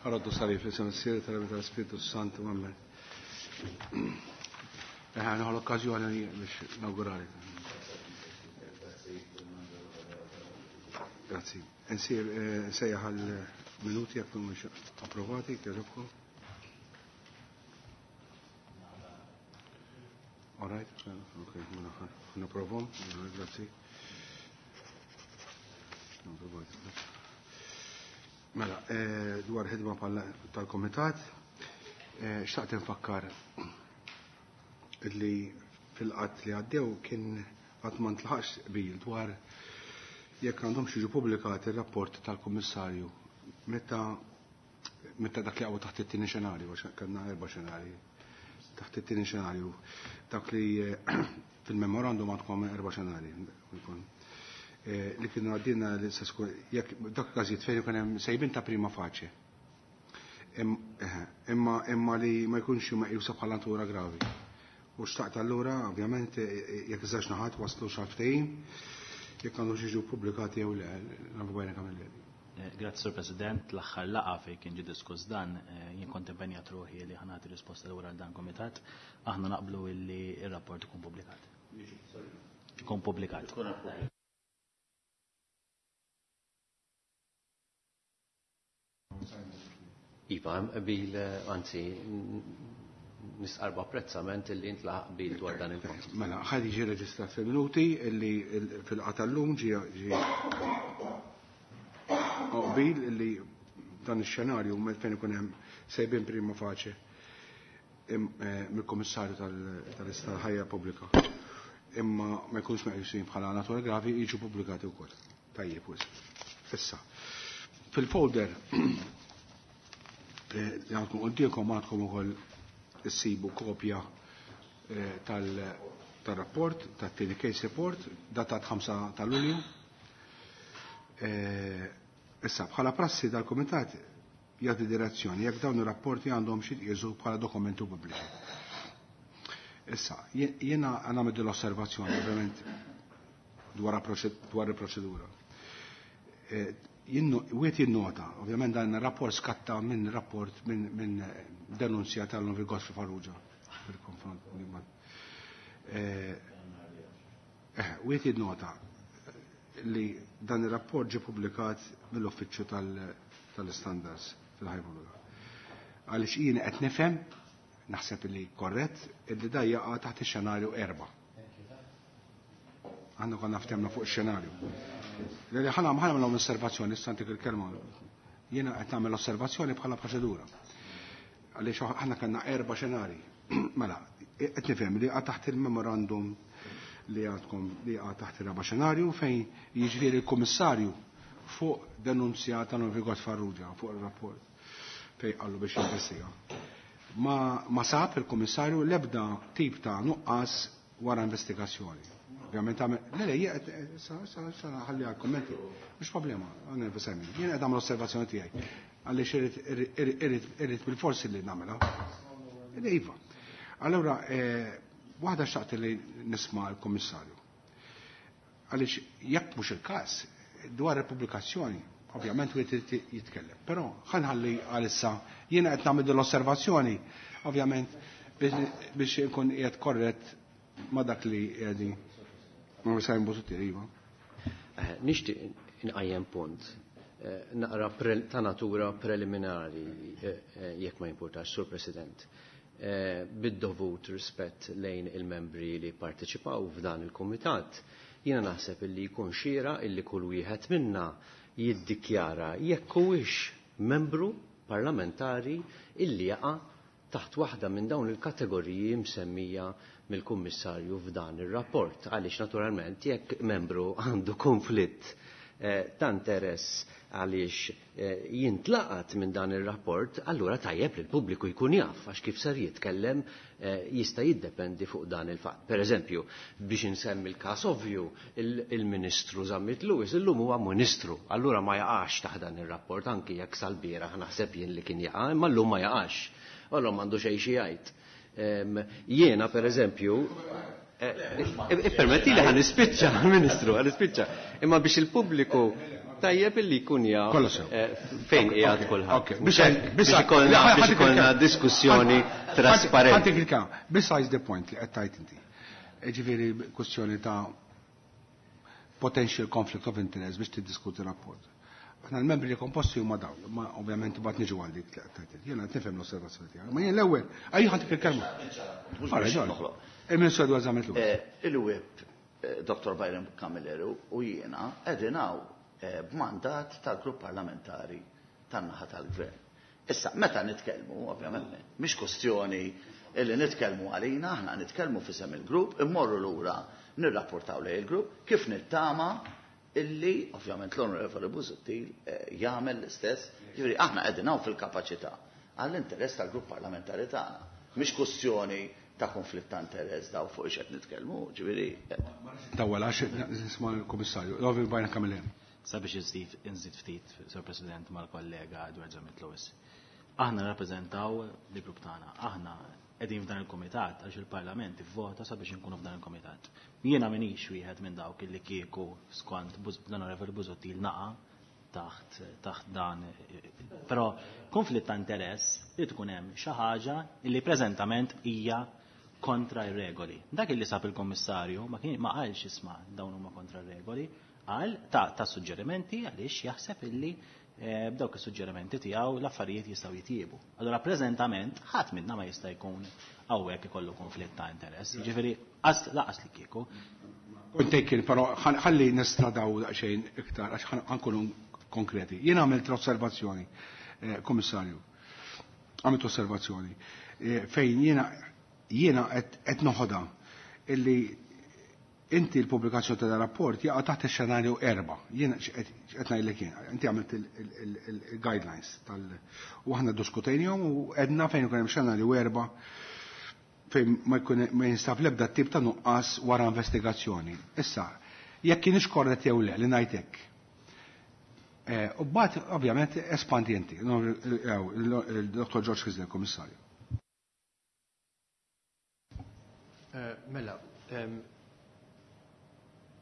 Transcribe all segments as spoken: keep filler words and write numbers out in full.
Ħaroddu salib fl-isem Missier tal-Iben tal-Ispirtu Santu, amen. Eħe, nieħu l-okkażjoni biex nawgurali. Grazzi. Nsir nsejjaħ għal minuti jekk mhumiex approvati, kieġobkom. All right, ok, mela naprovhom, grazzi. Mela, dwar ħidma tal-komitat, xtaqt nfakkar li fil-qatt li għaddew kien qatt ma ntlaħaqx qbil dwar jekk għandhom jiġu pubblikati ir-rapport tal-Kummissarju meta meta dak li għawu taħt it-tieni xenarju, għax kellna erba' xenarji. Taħt it-tieni xenarju, dak li fil-memorandum għandkom erba' xenarji. Li kienu għaddina li jekk dak każijiet fejn ikun hemm sejbin ta' prima faċe. Imma imma li ma jkunx meqjusa bħala natura gravi. U xtaqt allura, ovvjament, jekk iżgħax naħat waslu xi ftehim, jekk għandu jiġu pubblikati jew le, nafu bajna Camilleri. Grazzi, Sur President. L-aħħar laqgħa fejn kien ġie diskuss dan, jien kont impenjat ruħi li ħa nagħti risposta lura għal dan komitat. Aħna naqblu illi ir-rapport ikun pubblikat. Ikun pubblikat. Iva, bil, anzi, nistqarr b'apprezzament illi intlaħaq qbil dwar dan il-punt. Mela, ħa jiġi reġistrat fil-minuti illi fil-laqgħa tal-lum ġie qbil illi dan ix-xenarju fejn ikun hemm sejbin prima facie mill-Kummissarju tal-Ħajja Pubblika. Imma ma jkunx meqjusin bħala natura gravi jiġu pubblikati wkoll. Tajjeb wisq. Issa, fil-folder li għandkom quddiemkom għandkom ukoll issibu kopja tal-rapport, tat-tieni case report, datat ħamsa ta' Lulju. Issa, bħala prassi dal-Kumitat jagħti direzzjoni jekk dawn ir-rapporti għandhom xi jitqiesu bħala dokumenti pubbliċi. Issa, jiena nagħmel l-osservazzjoni ovvjament dwar dwar il-proċedura. Wieħed jinnota, ovvjament dan ir-rapport skatta minn rapport minn denunzja tal-Onorevoli Godfrey Farrugia fil-konfront. Wieħed jinnota li dan ir-rapport ġie pubblikat mill-Uffiċċju tal-Standards fil-Ħajja Pubblika. Għaliex jien qed nifhem, naħseb li korrett, illi da jaqa' taħt ix-xenarju erba'. Għandu konna ftemna fuq ix-xenarju. Li ħana ħana nagħmel osservazzjoni, issa ntik il-kelma. Jiena qed nagħmel osservazzjoni bħala proċedura. Għaliex aħna kellna erba' xenarji. Mela, qed nifhem li jaqa' taħt il-memorandum li għandkom li jaqa' taħt ir-raba' xenarju fejn jiġifieri l-Kummissarju fuq denunzja ta' Onorevoli Farrugia fuq ir-rapport fejn qallu biex jinvestiga. Ma, ma sab il-Kummissarju l-ebda tip ta' nuqqas wara investigazzjoni. Ovvjament għamel, le le, sa sa sa ħalli għal kommenti. Mhux problema, għan Simon. Jien qed nagħmel osservazzjoni tiegħi. Għaliex irrid irrid irrid bil-forsi li nagħmilha. Iva. Allura, waħda xtaqt li nisma' l-Kummissarju. Għaliex jekk mhux il-każ, dwar il-pubblikazzjoni, ovvjament wieħed irid jitkellem. Però ħanħalli għalissa jiena qed nagħmel l-osservazzjoni, ovvjament biex inkun qiegħed korrett ma' dak li qegħdin. Ma Simon Busuttil, iva. Nixtieq inqajjem punt naqra ta' natura preliminari jekk ma jimpurtax, Sur President. Bid-dovut rispett lejn il-membri li parteċipaw f'dan il-kumitat, jiena naħseb illi jkun xira illi kull wieħed minna jiddikjara jekk huwiex membru parlamentari illi jaqa' taħt waħda minn dawn il-kategoriji msemmija mill-Kummissarju f'dan ir-rapport. Għaliex naturalment jekk membru għandu konflitt ta' interess għaliex jintlaqat minn dan ir-rapport, allura tajjeb li l-pubbliku jkun jaf għax kif ser jitkellem jista' jiddependi fuq dan il-fatt. Per eżempju, biex insemmi l-każ ovvju, il-Ministru Zammit Lewis illum huwa Ministru, allura ma jaqax taħt dan ir-rapport anki jekk sal-bieraħ naħseb jien li kien jaqa', imma llum ma jaqax. Allura m'għandu xejn xi jgħid. Jiena per eżempju, Permetti li ħa nispiċċa, Ministru, ħa nispiċċa. Imma biex il-pubbliku Tajjeb illi jkun jaf fejn qiegħed kulħadd. Biex ikollna diskussjoni trasparenti. Besides the point li qed tgħid inti. Ġifieri kwestjoni ta' potential conflict of interest biex tiddiskuti rapport. Aħna l-membri li komposti huma dawn, ma ovvjament imbagħad niġu għal dik li qed tgħid. Jiena qed nifhem l-osservazzjoni tiegħek. Ma jien l-ewwel, ejja ħantik il-kelma. Il-Ministru Edward Zammit Lewis. Il-Whip Dottor Byron Camilleri u jiena qegħdin hawn b'mandat tal-grupp parlamentari tan-naħa tal-gvern. Issa, meta nitkellmu, ovvjament, mhix kwestjoni illi nitkellmu għalina, aħna nitkellmu f'isem il-grupp, immorru lura nirrapportaw lejn il-grupp kif nittama illi ovvjament l-Onorevoli Busuttil jagħmel l-istess. Jiġifieri aħna qegħdin hawn fil-kapaċità għall-interess tal-grupp parlamentari tagħna. Mhix kwestjoni ta' konflitt ta' interess daw fuq ix qed nitkellmu, ġifieri. Tawwel għax nisma' l-Kummissarju, Onorevoli Byron Camilleri. Sabiex inżid ftit, Sur President, mal-kollega Edward Zammit Lewis. Aħna rappreżentaw l-grupp tagħna, aħna qegħdin f'dan il-kumitat għax il-Parlament ivvota sabiex inkunu f'dan il-kumitat. Jiena m'iniex wieħed minn dawk illi kieku skont l-Onorevoli Busuttil naqa' taħt taħt dan. Però konflitt ta' interess li tkun hemm xi ħaġa illi preżentament hija kontra r-regoli. Dak illi sab il-Kommissarju ma kien ma qalx isma' dawn huma kontra r-regoli, qal ta' ta' suġġerimenti għaliex jaħseb illi b'dawk is-suġġerimenti tiegħu l-affarijiet jistgħu jitjiebu. Allura preżentament ħadd minna ma jista' jkun hawnhekk ikollu konflitt ta' interess. Jiġifieri laqas li kieku. Kont taken, però ħalli nistradaw daqsxejn iktar għax ħankunu konkreti. Jien għamilt osservazzjoni, Kummissarju. Għamilt osservazzjoni fejn jiena jiena qed noħodha illi inti l-pubblikazzjoni ta' rapport jaqa' taħt ix-xenarju erba'. Jiena qed ngħidlek jien, inti għamilt il-guidelines tal u aħna ddiskutejnihom u għedna fejn ikun hemm xenarju erba' fejn ma jkun ma jinstab l-ebda tip ta' nuqqas wara investigazzjoni. Issa, jekk kienx korrett jew le li ngħid hekk. U mbagħad ovvjament espandi inti, il-Dottor George Kisler, Kummissarju. Mela,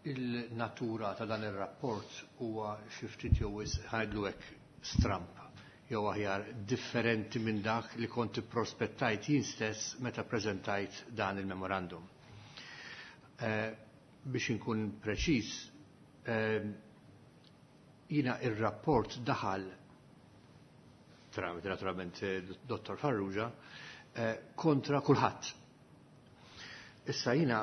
il-natura ta' dan ir-rapport huwa xi ftit jew ħajdlu hekk stramp jew aħjar differenti minn dak li kont ipprospettajt jien stess meta preżentajt dan il-memorandum. Biex inkun preċiż, jiena ir-rapport daħal tramite naturalment Dottor Farrugia kontra kulħadd. Issa jina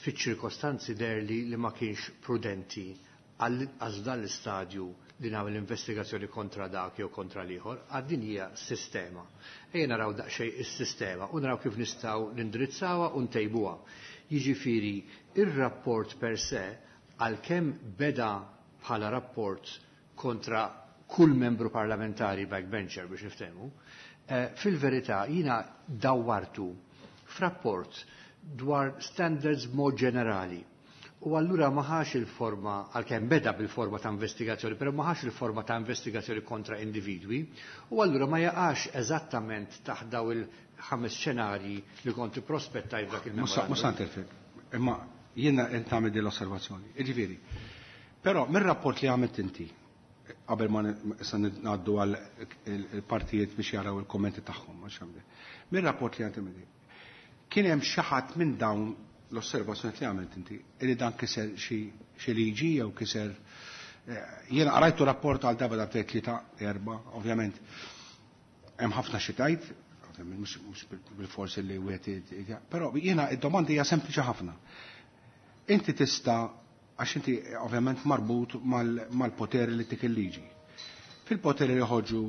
fiċ-ċirkostanzi derli li ma kienx prudenti għal dan l-istadju li nagħmel investigazzjoni kontra dak jew kontra l-ieħor, għad din hija sistema. Ejja naraw daqsxejn is-sistema u naraw kif nistgħu nindirizzawha u ntejbuha. Jiġifieri ir-rapport per se għalkemm beda bħala rapport kontra kull membru parlamentari backbencher biex niftehmu, fil-verità jina dawwartu f'rapport dwar standards mod ġenerali. U allura maħax il-forma, għalkemm beda bil-forma ta' investigazzjoni, però maħax il-forma ta' investigazzjoni kontra individwi, u allura ma jaqax eżattament taħt daw il-ħames xenarji li konti prospettaj f'dak il-memorandum. Mhux interfik, imma jiena qed nagħmel din l-osservazzjoni. Jiġifieri, però mir-rapport li għamilt inti, qabel ma issa ngħaddu għal il-partijiet biex jaraw il-kommenti tagħhom, mir-rapport li għamilt inti, kien hemm xi ħadd minn dawn l-osservazzjoni li għamilt inti li dan kiser xi liġi jew kiser. Jiena qrajtu rapport għal darba darbtejn tlieta erba', ovvjament hemm ħafna xi tgħid, mhux bil-forsi li wieħed, però jiena id-domanda hija sempliċi ħafna. Inti tista' għax inti ovvjament marbut mal-poteri li tik il-liġi. Fil-poteri li joħorġu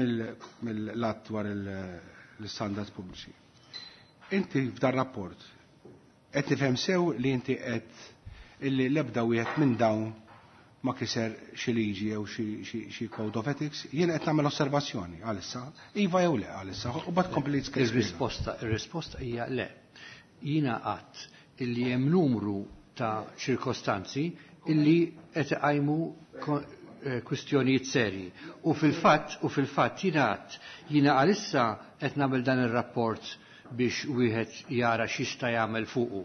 mill-att dwar l-standards pubbliċi. Inti f'dan rapport qed nifhem sew li inti qed illi l-ebda wieħed minn dawn ma kiser xi liġi jew xi code of ethics, jien qed nagħmel osservazzjoni għalissa, iva jew le għalissa, u bad kompli Ir-risposta ir-risposta hija le. Jiena qatt illi hemm numru ta' ċirkostanzi illi qed iqajmu kwistjonijiet serji. U fil-fatt u fil-fatt jiena qatt jiena għalissa qed nagħmel dan ir-rapport biex wieħed jara x'jista' jagħmel fuqu.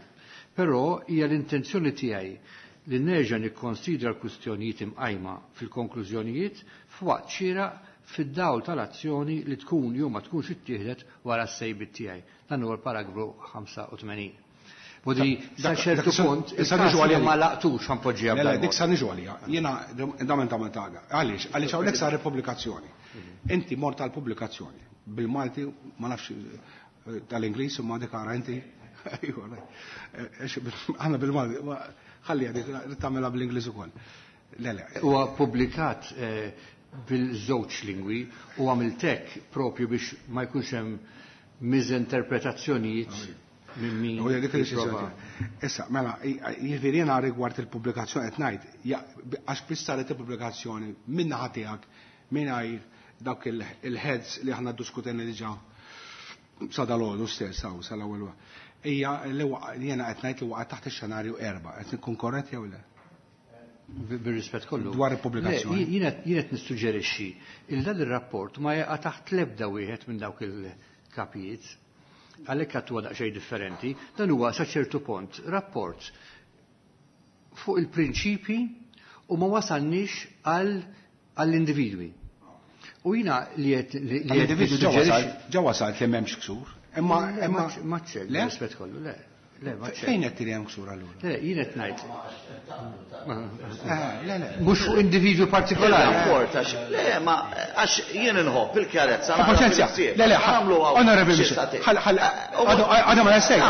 Però hija l-intenzjoni tiegħi li nerġa' nikkonsidra l-kwistjonijiet imqajma fil-konklużjonijiet f'waqt xieraq fid-dawl tal-azzjoni li tkun jew ma tkunx ittieħdet wara s-sejbiet tiegħi. Dan huwa l-paragrafu ħamsa u tmenin. Bodi, sa ċertu punt, issa niġu għalija ma laqtux ħanpoġġiha. Le, dik sa niġu għalija. Jiena damen ta' taga. Għaliex, għaliex hawnhekk sar pubblikazzjoni. Inti mort tal-pubblikazzjoni. Bil-Malti, ma nafx tal-Ingliż u ma dik ara inti. Aħna bil-Malti, ħalli għadik tagħmilha bl-Ingliż ukoll. Le, le. Huwa ppubblikat bil-żewġ lingwi u għamiltek propju biex ma jkunx hemm miżinterpretazzjonijiet minn min. Issa, mela, jiġifieri jiena rigward il-pubblikazzjoni qed ngħid, għax biss saret il-pubblikazzjoni minn naħa tiegħek mingħajr dawk il-heads li aħna ddiskutejna diġà sa dalgħodu stess hawn sal-ewwel. Hija li jiena qed ngħid li waqgħet taħt ix-xenarju erba', qed nkun korrett jew le? Bir-rispett kollu. Dwar il-pubblikazzjoni. Jiena qed nissuġġerixxi il dan ir-rapport ma jaqa' taħt l-ebda wieħed minn dawk il-kapijiet. Għalhekk għad huwa daqsxejn differenti, dan huwa sa ċertu punt rapport fuq il-prinċipji u ma wasalniex għall-individwi. U jiena li qed l-individwi ġa wasalt li m'hemmx ksur. Imma imma ma ċċel, rispett kollu, le. Fejn qed tiri hemm ksur allura? Le, jien qed ngħid. Le, le. Mhux fuq individwu partikolari. Rapport għax le, ma għax jien inħobb il-kjarezza. Paċenzja. Le, le, onorevoli, għadha ma jessej.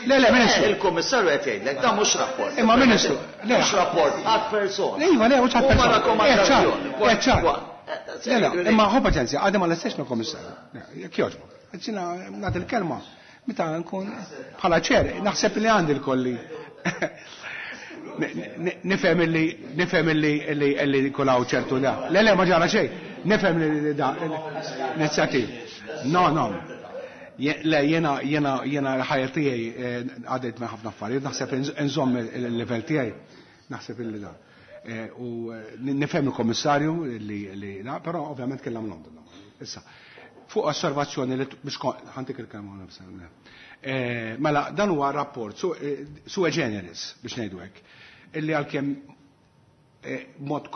Le, le, ministru. Il-kummissarju qed jgħidlek dan mhux rapport. Imma ministru, le. Mhux rapport għad persona. Iva, le, mhux għad Huma persona. rakkomandazzjoni. Le, le, imma ħu paċenzja, għadha ma lestejx mill-kummissarju. Jekk jogħġbok. Ġina nagħti l-kelma. Meta nkun bħala ċer, naħseb li għandi l-kolli. Nifhem li nifhem li li jkun hawn ċertu da. Le le ma ġara xejn. Nifhem li da inizjattiv. No, no. Le jiena jiena jiena l-ħajja tiegħi għaddejt minn ħafna affarijiet, naħseb inżomm il-livell tiegħi. Naħseb illi da. U nifhem il-kommissarju li li da, però ovvjament kellhom London. Issa. Fuq osservazzjoni li biex ħantik il-kelma nifsa. Mela dan huwa rapport sui generis biex ngħidu hekk. Illi għalkemm mod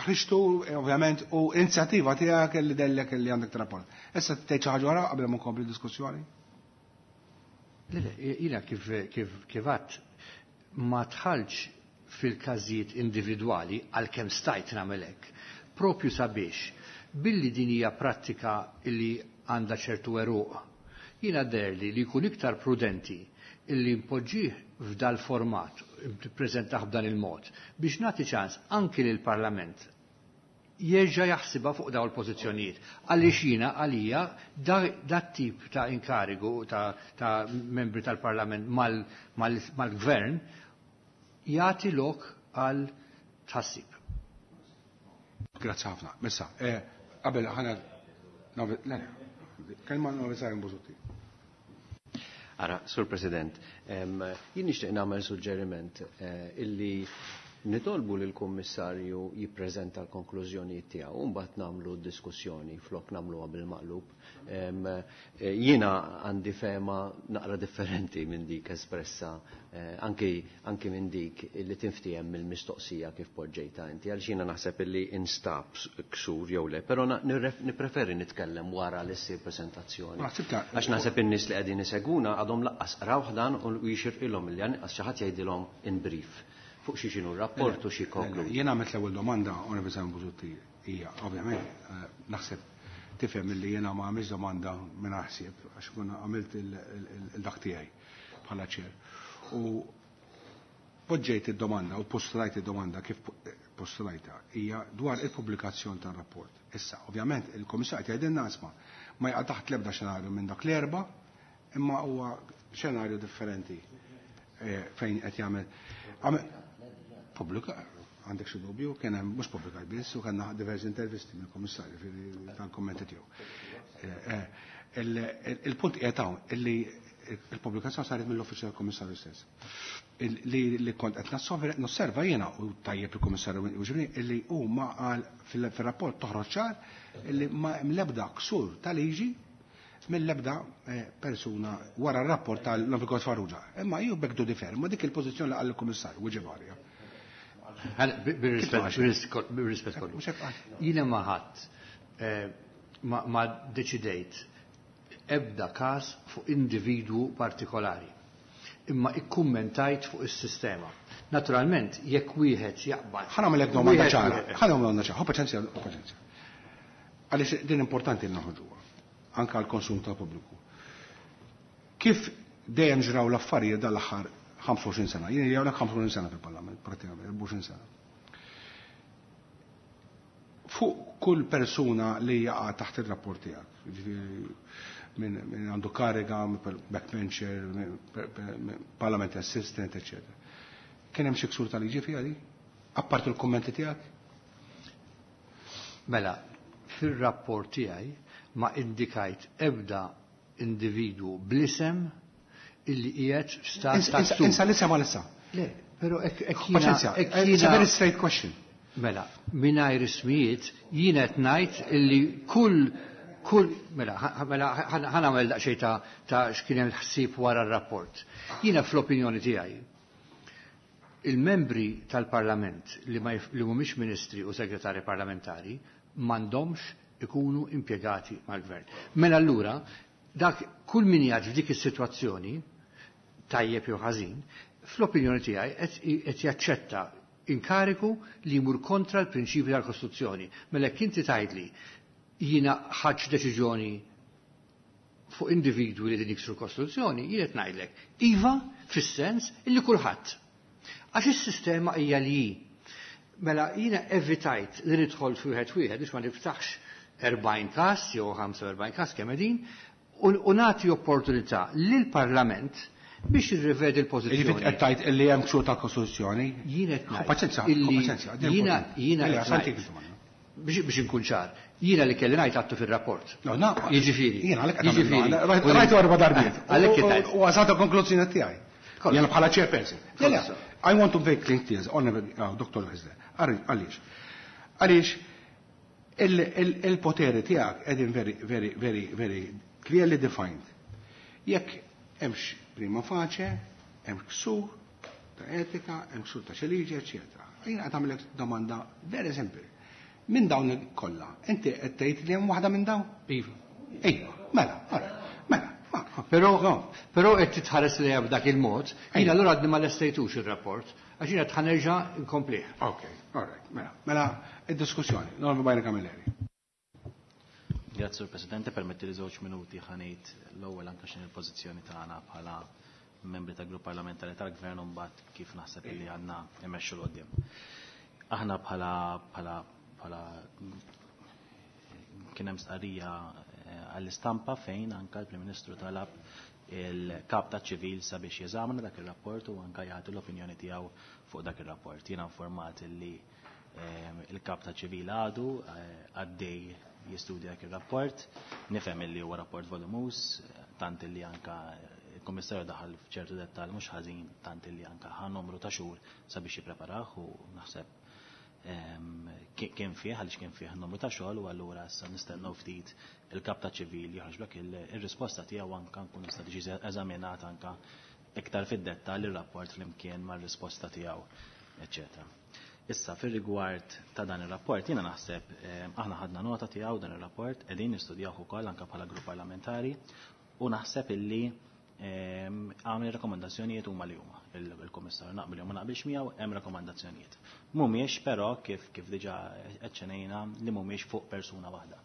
ħriġtu ovvjament u inizjattiva tiegħek li dellek li għandek rapport. Issa tgħid xi ħaġa oħra qabel ma nkompli diskussjoni? Le, le, jiena kif kif kif għadt ma tħallx fil-każijiet individwali għalkemm stajt nagħmel hekk. Propju sabiex billi din hija prattika li għandha ċertu eruq. Jiena derli li jkun iktar prudenti illi npoġġih f'dal format, nippreżentah b'dan il-mod, biex nagħti ċans anki lil parlament jerġa' jaħsibha fuq dawn il-pożizzjonijiet. Għaliex jiena għalija dat tip ta' inkarigu ta', ta membri tal-parlament mal-gvern jagħti lok għal tħassib. Grazzi ħafna. Missa, qabel ħana le, kelma Novi Busuttil. Ara, Sur President, jien nixtieq nagħmel suġġeriment illi nitolbu lill kummissarju jippreżenta l-konklużjonijiet tiegħu u mbagħad nagħmlu diskussjoni flok nagħmluha bil-maqlub. Jiena għandi fema naqra differenti minn dik espressa anki anki minn dik li tinftiehem mill-mistoqsija kif poġġejta inti, għaliex jiena naħseb illi instab ksur jew le, però nippreferi nitkellem wara li ssir preżentazzjoni. Għax naħseb in-nies li qegħdin isegwuna għadhom laqqas qrawh dan u jixirqilhom illi anqas xi ħadd jgħidilhom in brief fuq xi xinu rapport u xi konkludi. Jiena għamilt l-ewwel domanda, Onorevoli Busuttil, hija ovvjament naħseb tifhem illi jiena ma għamilx domanda minn ħsieb għax kun għamilt il-dak tiegħi bħala ċer. U poġġejt id-domanda u postulajt id-domanda kif postulajta hija dwar il-pubblikazzjoni tar-rapport. Issa, ovvjament il-Kummissarju jgħidilna isma' ma jaqa' taħt l-ebda xenarju minn dak l-erba' imma huwa xenarju differenti fejn qed jagħmel. Pubblika, għandek xi dubju, kien hemm mhux pubblikat biss u kellna diversi intervisti mill-Kummissarju tal-kummenti tiegħu. Il-punt qiegħed hawn illi il-pubblikazzjoni saret mill-uffiċċju tal-Kummissarju stess. Li kont qed nosserva jiena u tajjeb il-Kummissarju ġibni illi huma qal fir-rapport toħroġ ċar illi ma hemm l-ebda ksur ta' liġi mill-ebda persuna wara r-rapport tal-Novikot Farrugia. Imma ju bekdu differ, ma dik il-pożizzjoni li qal il-Kummissarju u ġivarja. Bir-rispett kollu. Jiena ma ħadd ma deċidejt ebda każ fuq individwu partikolari. Imma ikkummentajt fuq is-sistema. Naturalment, jekk wieħed jaqbad. Ħa nagħmellek domanda ċara. Ħa nagħmel domanda ċara. Ħu paċenzja, ħu paċenzja. Għaliex din importanti li noħorġuha, anke għall-konsum tal-pubbliku. Kif dejjem ġraw l-affarijiet dal-aħħar ħamsa u għoxrin sena, jien jgħidlek ħamsa u għoxrin sena fil-Parlament, pratikament, erbgħa u għoxrin sena. Fuq kull persuna li jaqa' taħt ir-rapport tiegħek, jiġifieri minn min għandu kariga, backbencher, parliament assistant, eccetera. Kien hemm xi ksur tal-liġi fiha di? Apparti l-kummenti tiegħek? Mela, fir-rapport tiegħi ma indikajt ebda individwu bl-isem illi qiegħed f'stat ta' ksur. Insa l-isem għal issa. Le, però hekk Paċenzja, it's a very straight question. Mela, mingħajr ismijiet jien qed ngħid illi kull kull mela mela ħa nagħmel daqsxejn ta' ta' x'kien hemm ħsieb wara r-rapport. Jiena fl-opinjoni tiegħi il-membri tal-Parlament li ma li mhumiex ministri u segretari parlamentari m'għandhomx ikunu impjegati mal-gvern. Mela allura dak kull min jgħid f'dik is-sitwazzjoni tajjeb jew ħażin, fl-opinjoni tiegħi qed jaċċetta inkariku li jmur kontra l-prinċipji tal-Kostituzzjoni. Mela jekk inti tgħidli jiena ħadt deċiżjoni fuq individwi li din jiksru l-Kostituzzjoni, jien qed ngħidlek iva fis-sens illi kulħadd. Għax is-sistema hija li hi. Mela jiena evitajt li nidħol fi wieħed wieħed biex ma niftaħx erbgħin każ jew ħamsa u erbgħin każ kemm qegħdin u nagħti opportunità lill-Parlament biex jirrivedi l-pożizzjoni. Jiġifieri qed tgħid illi hemm ksur tal-Kostituzzjoni? Jien qed ngħid Paċenzja, paċenzja, jiena jiena biex biex inkun ċar, jiena li kelli ngħid għattu fir-rapport. No, no, Jiġifieri. Jiena għalhekk qed rajtu erba' darbiet. Għalhekk qed ngħid. U għażata konklużjoni tiegħi. Jiena bħala chairperson. I want to make clear things, Doctor Hyzler. Għaliex? Għaliex il-poteri tiegħek qegħdin very, very, very, very clearly defined. Jekk hemmx prima facie, hemm ksur ta' etika, hemm ksur ta' xi liġi, eċċetera. Jiena qed nagħmlek domanda very simple. Minn dawn kollha, inti qed tgħid li hemm waħda minn dawn? Iva. Iva, mela, all right, mela. Però però qed titħares lejha b'dak il-mod, jiena allura għadni ma lestejtux ir-rapport, għax jiena qed ħanerġa' nkomplih. Ok, all right, mela, mela id-diskussjoni, Norma Byron Camilleri. Grazie, Sur Presidente, permetti li żewġ minuti ħa ngħid l-ewwel anke x'inhi l-pożizzjoni tagħna bħala membri tal-grupp parlamentari tal-Gvern u mbagħad kif naħseb li għandna immexxu 'l quddiem. Aħna bħala bħala bħala kien hemm stqarrija għall-istampa fejn anke l-Prim Ministru talab il-kap ta' ċivil sabiex jeżamina dak ir-rapport u anke jagħti l-opinjoni tiegħu fuq dak ir-rapport. Jiena informat li il-kap ta' ċivil għadu għaddej jistudja dak ir-rapport, nifhem li huwa rapport volumus, tant li anka il-Kummissarju daħal f'ċertu dettall mhux ħażin, tant li anka ħa numru ta' xhur sabiex jippreparah u naħseb kien fih, għaliex kien fih numru ta' xogħol u allura issa nistennew ftit il-kap ta' ċivil joħroġ dak ir-risposta tiegħu anka nkun nista' tiġi eżaminat anka iktar fid-dettall ir-rapport flimkien mar-risposta tiegħu, eċċetera. Issa fir-rigward ta' dan ir-rapport jiena naħseb aħna ħadna nota tiegħu dan ir-rapport, qegħdin nistudjawh ukoll anke bħala grupp parlamentari u naħseb illi għamel rakkomandazzjonijiet huma li huma. Il-Kummissarju naqbel jew ma naqbilx miegħu hemm rakkomandazzjonijiet. Mhumiex però kif kif diġà eċċenejna li mhumiex fuq persuna waħda.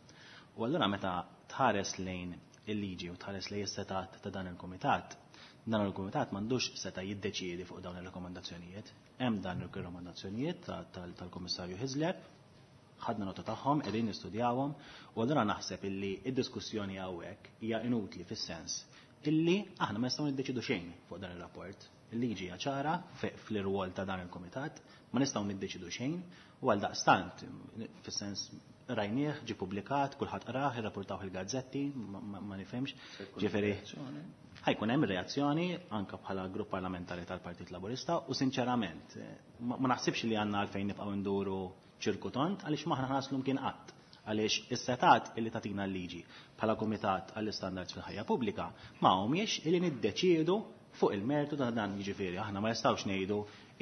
U allura meta tħares lejn il-liġi u tħares lejn is-setat ta' dan il-kumitat, dan il-kumitat m'għandux seta' jiddeċiedi fuq dawn ir-rakkomandazzjonijiet. Hemm dan ir-rakkomandazzjonijiet tal-Kummissarju Hyzler, ħadna nota tagħhom, qegħdin nistudjawhom, u allura naħseb illi id-diskussjoni hawnhekk hija inutli fis-sens illi aħna ma nistgħu niddeċidu xejn fuq dan ir-rapport. Il-liġi hija ċara fl-irwol ta' dan il-kumitat, ma nistgħu niddeċidu xejn, u għal daqstant fis-sens rajnieh, ġie publikat, kulħadd qrah, irrapportawh il-gazzetti, ma nifhimx. Ġifieri ħajkun hemm reazzjoni anke bħala grupp parlamentari tal-Partit Laburista u sinċerament ma naħsibx li għandna għalfejn nibqgħu nduru ċirku tont għaliex maħna ħaslu mkien qatt. Għaliex is-setat illi tatina l-liġi bħala kumitat għall-istandards fil-ħajja pubblika ma humiex illi niddeċiedu Fuq il-mertu ta' dan, jiġifieri aħna ma jistgħux ngħidu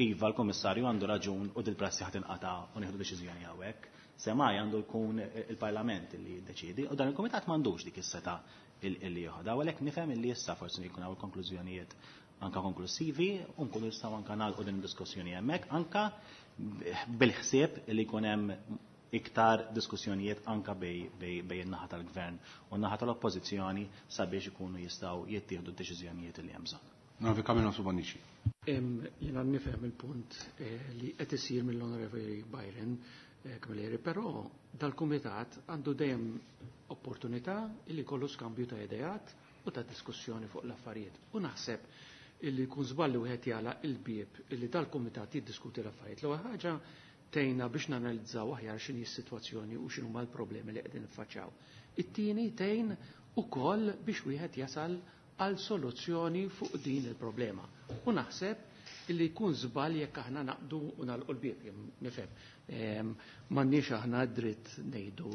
iva l-Kummissarju għandu raġun u dil-prassi ħa tinqata' u nieħdu deċiżjoni hawnhekk. Semmai għandu jkun il-Parlament li jiddeċiedi u dan il-Kumitat m'għandux dik is-setgħa illi joħodha. U għalhekk nifhem illi issa forsi jkun hawn il-konklużjonijiet anka konklusivi u nkunu nistgħu anka nagħlqu din id-diskussjoni hemmhekk anka bil-ħsieb li jkun hemm iktar diskussjonijiet anka bej, bej, bej in-naħa tal-gvern u n-naħa tal-oppożizzjoni sabiex ikunu jistgħu jittieħdu d-deċiżjonijiet li hemm bżonn. Onorevoli Camillo Bonnici. Jiena nifhem il-punt eh, li qed isir mill-Onorevoli Byron eh, Camilleri, però dal-Kumitat għandu dejjem opportunità li jkollu skambju ta' ideat u ta' diskussjoni fuq l-affarijiet. U naħseb illi jkun żball li wieħed jagħlaq il-bieb illi dal-Kumitat jiddiskuti l-affarijiet. L-ewwel ħaġa tgħinna biex nanalizzaw aħjar x'inhi s-sitwazzjoni u x'inhuma l-problemi li qegħdin niffaċċjaw. It-tieni tgħin ukoll biex wieħed jasal għal soluzzjoni fuq din il-problema. U naħseb illi jkun żball jekk aħna naqdu u nagħlqu l-bieb, nifhem. M'għandniex aħna dritt ngħidu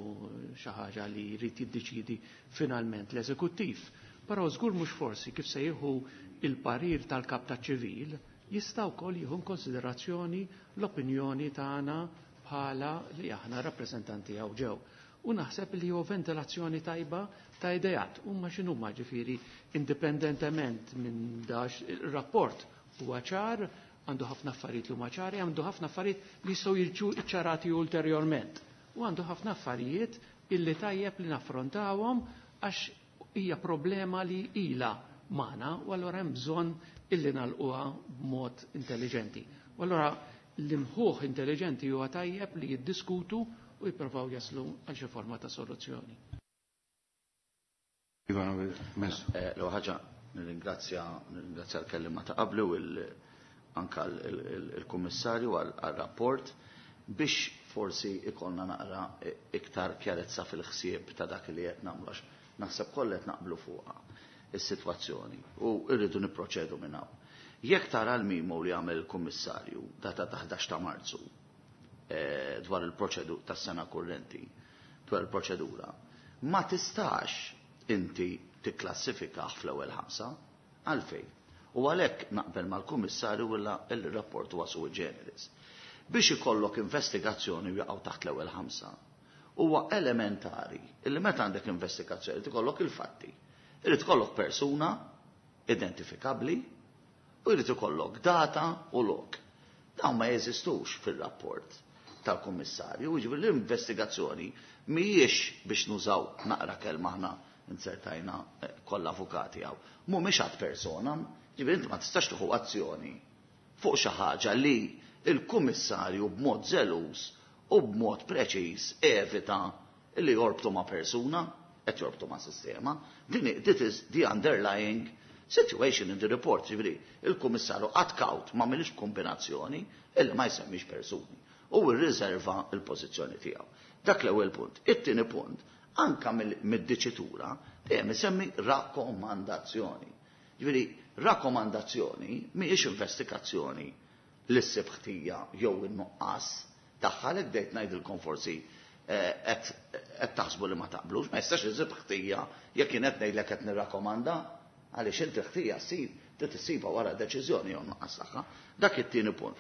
xi ħaġa li jrid jiddeċiedi finalment l-eżekuttiv. Però żgur mhux forsi kif se jieħu il-parir tal-kap taċ-ċivil jista' wkoll jieħu konsiderazzjoni l-opinjoni tagħna bħala li aħna rappreżentanti hawn ġew. U naħseb li huwa ventilazzjoni tajba ta' idejat. Huma x'inhuma ġifieri indipendentement minn dax ir-rapport huwa ċar, għandu ħafna affarijiet li huma ċari, għandu ħafna affarijiet li jistgħu jiġu ċċarati ulterjorment. U għandu ħafna affarijiet illi tajjeb li naffrontawhom għax hija problema li ilha magħna u allura hemm bżonn illi nagħlquha b'mod intelligenti. U allura l-imħuħ intelligenti huwa tajjeb li jiddiskutu u jippruvaw jaslu għal xi forma ta' soluzzjoni. L-ewwel ħaġa nirringrazzja nirringrazzja l-kelliema ta' qabli u anka l-Kummissarju għal-rapport biex forsi ikollna naqra iktar kjarezza fil-ħsieb ta' dak li qed nagħmlu għax naħseb kollha qed naqblu fuqha is-sitwazzjoni u rridu nipproċedu minn hawn. Jekk tara l-memo li għamel il-Kummissarju data ta' ħdax ta' Marzu dwar il-proċedu tas-sena kurrenti, dwar il-proċedura, ma tistax inti tikklassifikah fl-ewwel ħamsa għalfejn. U għalhekk naqbel mal-Kummissarju illa il-rapport huwa sui generis. Biex ikollok investigazzjoni u jaqgħu taħt l-ewwel ħamsa, huwa elementari illi meta għandek investigazzjoni tikollok il-fatti. Irid ikollok persuna identifikabbli u jrid ikollok data u lok. Dawn ma jeżistux fil-rapport tal-Kummissarju, jiġifieri l-investigazzjoni mhijiex biex nużaw naqra kelma aħna insertajna kollha avukati hawn. Mhumiex ad personam, jiġifieri inti ma tistax tieħu azzjoni fuq xi ħaġa li il-Kummissarju b'mod żeluż u b'mod preċiż evita li jorbtu ma' persuna, qed jorbtu ma' sistema. Din this is the underlying situation in the report, jiġifieri il-Kummissarju ad kaut ma milix kombinazzjoni illi ma jsemmix persuni u rriserva l-pożizzjoni tiegħu. Dak l-ewwel punt. It-tieni punt, anka mid-diċitura dejjem isemmi rakkomandazzjoni. Ġifieri rakkomandazzjoni mhijiex investigazzjoni li ssib ħtija jew in-nuqqas tagħha li bdejt ngħidilkom forsi qed taħsbu li ma taqblux, ma jistax isib ħtija jekk kien qed ngħidlek qed nirrakkomanda għaliex inti ħtija ssir trid issibha wara deċiżjoni jew nuqqas tagħha. Dak it-tieni punt.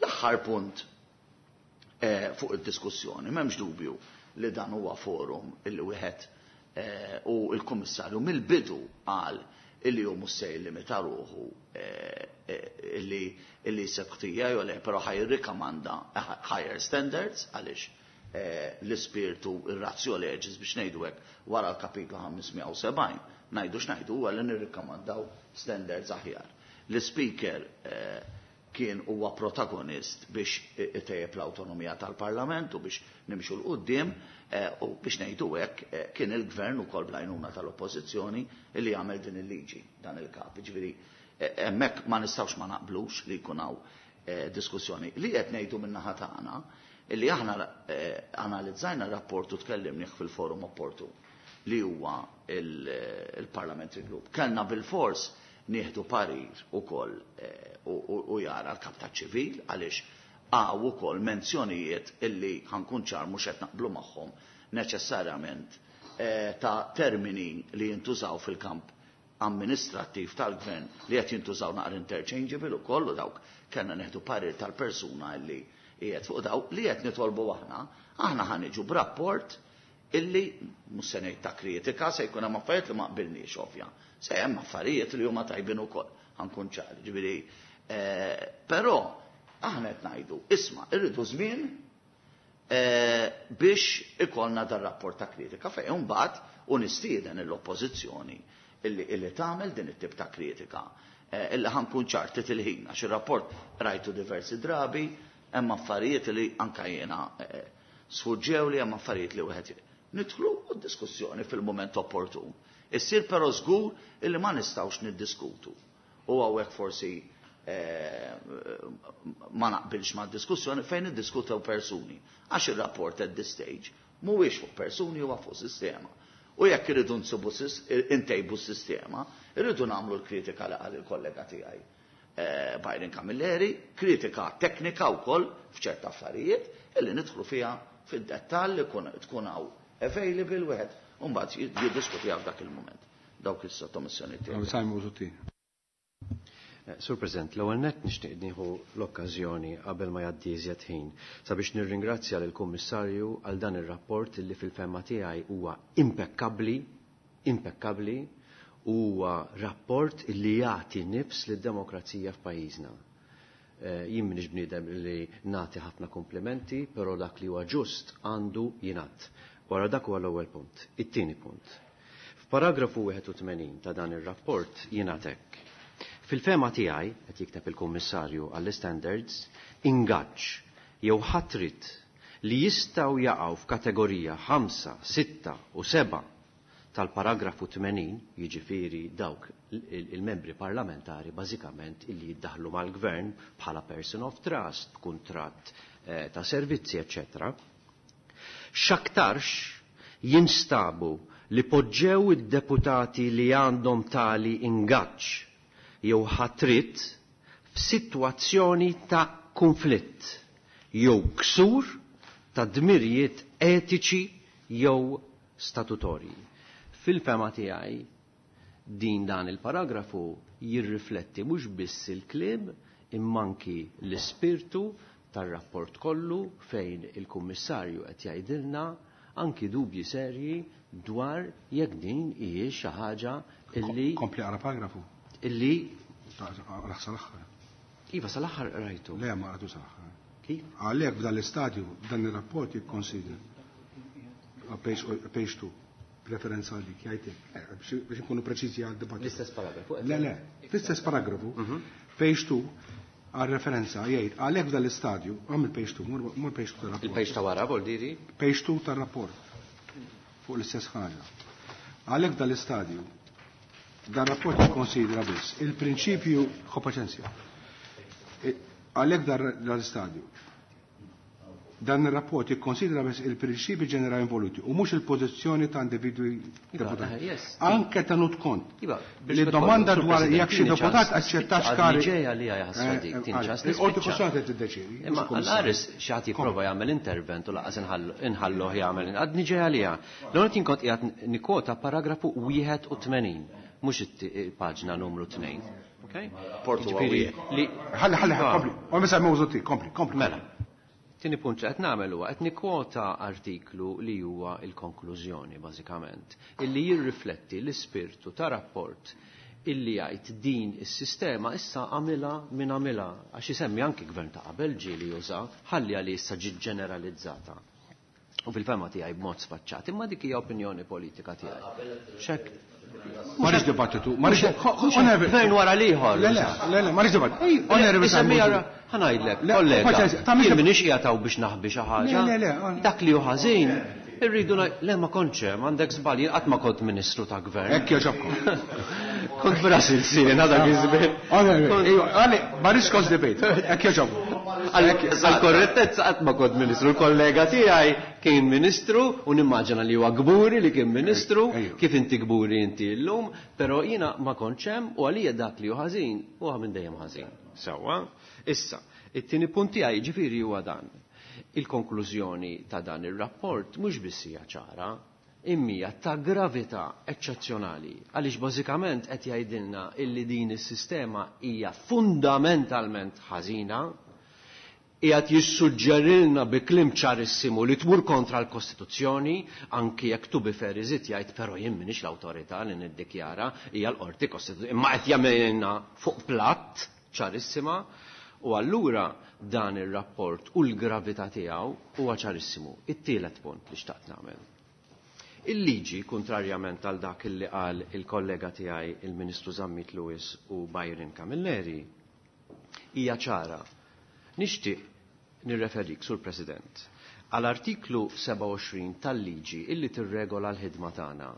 L-aħħar punt fuq id-diskussjoni, m'hemmx dubju li dan huwa forum illi wieħed u l-Kummissarju mill-bidu qal illi hu mhux se jillimita ruħu illi illi jseb ħtija jew le, però ħa jirrikamanda higher standards għaliex l-ispirtu ir-ratio legis biex ngħidu hekk wara l-kapitlu ħamsmija u sebgħin ngħidu x'ngħidu huwa li nirrikamandaw standards aħjar. L-speaker kien huwa protagonist biex itejjeb l-awtonomija tal-Parlament u biex nimxu 'l quddiem u biex ngħidu hekk kien il-gvern ukoll bl-għajnuna tal-Oppożizzjoni li jagħmel din il-liġi dan il-kap. Ġifieri hemmhekk ma nistgħux ma naqblux li jkun hawn diskussjoni. Li qed ngħidu min-naħa tagħna illi aħna analizzajna r-rapport u tkellimnih fil-forum opportun li huwa il-Parliamentary Group. Kellna bil-fors nieħdu parir ukoll u jara l-kap taċ-ċivil għaliex għaw ukoll menzjonijiet illi ħankun ċar mhux qed naqblu magħhom neċessarjament ta' termini li jintużaw fil-kamp amministrattiv tal-gvern li qed jintużaw naqra interchangeable ukoll u dawk kellna neħdu parir tal-persuna li qiegħed fuq dawk li qed nitolbu aħna, aħna ħa niġu b'rapport illi mhux se ngħid ta' kritika, se jkun hemm affarijiet li ma qbilniex ovvja. Se hemm affarijiet li huma tajbin ukoll, ħankun ċari, ġifieri però aħna qed ngħidu, isma' irridu żmien biex ikollna dar rapport ta' kritika fejn imbagħad u nistieden l-oppożizzjoni illi illi tagħmel din it-tip ta' kritika. Illi ħankun ċar il-ħin għax ir-rapport rajtu diversi drabi, hemm affarijiet li anke jiena sfuġġew li hemm affarijiet li wieħed nidħlu u diskussjoni fil-mument opportun. Issir però żgur illi ma nistgħux niddiskutu. U hawnhekk forsi ma naqbilx ma' diskussjoni fejn niddiskutew persuni. Għax ir-rapport at this stage mhuwiex fuq persuni huwa fuq sistema. U jekk irridu nsibu intejbu s-sistema, irridu nagħmlu l-kritika li qal il-kollega tiegħi Byron Camilleri, kritika teknika wkoll f'ċerta affarijiet illi nidħlu fiha fid-dettall li tkun hawn available wieħed u mbagħad jiddiskutiha f'dak il-mument. Dawk is-sottomissjoni tiegħi. Sur President, l-ewwel nett nixtieq nieħu l-okkażjoni qabel ma jgħaddi iżjed ħin sabiex nirringrazzja lill-Kummissarju għal dan ir-rapport li fil-fehma tiegħi huwa impekkabbli, impekkabbli u huwa rapport li jagħti nifs lid-demokrazija f'pajjiżna. Jien m'iniex bniedem li nagħti ħafna komplimenti, però dak li huwa ġust għandu jingħad. Wara dak huwa l-ewwel punt. It-tieni punt. F'paragrafu wieħed u tmenin ta' dan ir-rapport jingħad hekk. Fil-fema tiegħi, qed jikteb il-Kummissarju għall-Standards, ingaġġ jew ħatrit li jistgħu jaqgħu f'kategorija ħamsa, sitta u seba' tal-paragrafu tmenin, jiġifieri dawk il-membri parlamentari bażikament illi jiddaħlu mal-gvern bħala person of trust, b'kuntratt ta' servizzi, eċċetera. X'aktarx jinstabu li poġġew id-deputati li għandhom tali ingaġġ jew ħatrit f'sitwazzjoni ta' konflitt jew ksur ta' dmirijiet etiċi jew statutorji. Fil-fema tiegħi din dan il-paragrafu jirrifletti mhux biss il-kliem imma anki l-ispirtu tar-rapport kollu fejn il-Kummissarju qed jgħidilna anki dubji serji dwar jekk din hijiex xi ħaġa illi Kompli għara paragrafu. Illi Raħ sal-aħħar. Iva sal-aħħar rajtu. Le, ma rajtu sal-aħħar. Kif? Għalhekk f'dan l-istadju dan ir-rapport jikkonsidra page two preferenza għalik, jgħidlek, biex nkunu preċiżi għal dibattitu. L-istess paragrafu. Le, le, fl-istess paragrafu, page two għal referenza jgħid għalhekk f'dan l-istadju, għamil page two, mur page two tar-rapport. Il-page ta' wara vol diri? Page two tar-rapport fuq l-istess ħaġa. Għalhekk f'dan l-istadju dan rapport jikkonsidra biss il-prinċipju, ħu paċenzja. Għalhekk dan l-istadju dan ir-rapport jikkonsidra biss il-prinċipji ġenerali involuti u mhux il-pożizzjoni ta' individwi deputati. Anke tenut kont. Li domanda dwar jekk xi deputat aċċettax kari. Ġejja li ħasra dik, tinċas. Il-qorti kostituzzjonali qed tiddeċiedi. Imma għal-qaris xi ħadd jipprova jagħmel intervent u laqas inħalluh jagħmel. Għadni ġejja għaliha. L-ewwel kont qiegħed nikkwota paragrafu wieħed u tmenin, mhux il-paġna numru tnejn. Okay? Portu li Ħalli ħalli kompli. U misa mewżuti, kompli, kompli. Mela. Tieni punt li qed nagħmel huwa qed nikkwota artiklu li huwa l-konklużjoni bażikament, illi jirrifletti l-ispirtu ta' rapport illi jgħid din is-sistema issa għamilha min għamilha għax isemmi anki gvern ta' qabel ġieli juża ħalli għalli issa ġiet ġeneralizzata. U fil-fema tiegħi b'mod sfaċċat, imma dik hija opinjoni politika tiegħi. Xek Ma rridx dibattitu, ma rridx gvern wara l-ieħor. Le, le, le, le, ma rridx dibattitu. Onorevoli Ħa ngħidlek, kollega, jien m'iniex qiegħed hawn biex naħbi xi ħaġa. Le, le, le. Dak li hu ħażin, irridu le ma kontx hemm, għandek żball, jien qatt ma kont ministru ta' gvern. Hekk jogħġobkom. Kont Brasil sien dak iż-żmien. Onorevoli, ma rridx kont debate. Hekk jogħġobkom. Għal-korrettezza qatt ma kont ministru, l-kollega tiegħi kien ministru u nimmaġina li huwa kburi li kien ministru, kif inti kburi inti llum, però jiena ma kontx hemm u għalija dak li hu ħażin huwa minn dejjem ħażin. Sewwa, issa, it-tieni punt tiegħi ġifieri huwa dan. Il-konklużjoni ta' dan ir-rapport mhux biss hija ċara, Immija ta' gravità eċċezzjonali, għaliex bażikament qed jgħidilna illi din is-sistema hija fundamentalment ħażina, qiegħed jissuġġerilna bi kliem ċarissimu li tmur kontra l-Kostituzzjoni, anki jekk tu bi fair iżid jgħid però jien m'iniex l-awtorità li niddikjara hija l-Qorti Kostituzzjoni, imma qed jagħmilna fuq platt ċarissima. U allura dan ir-rapport u l-gravità tiegħu huwa ċarissimu. It-tielet punt li xtaqt nagħmel. Il-liġi, kontrarjament għal dak li qal il-kollega tiegħi il-Ministru Zammit Lewis u Byron Camilleri, hija ċara. Nixtieq nirreferik, Sur President, għal artiklu sebgħa u għoxrin tal-liġi illi tirregola l-ħidma tagħna,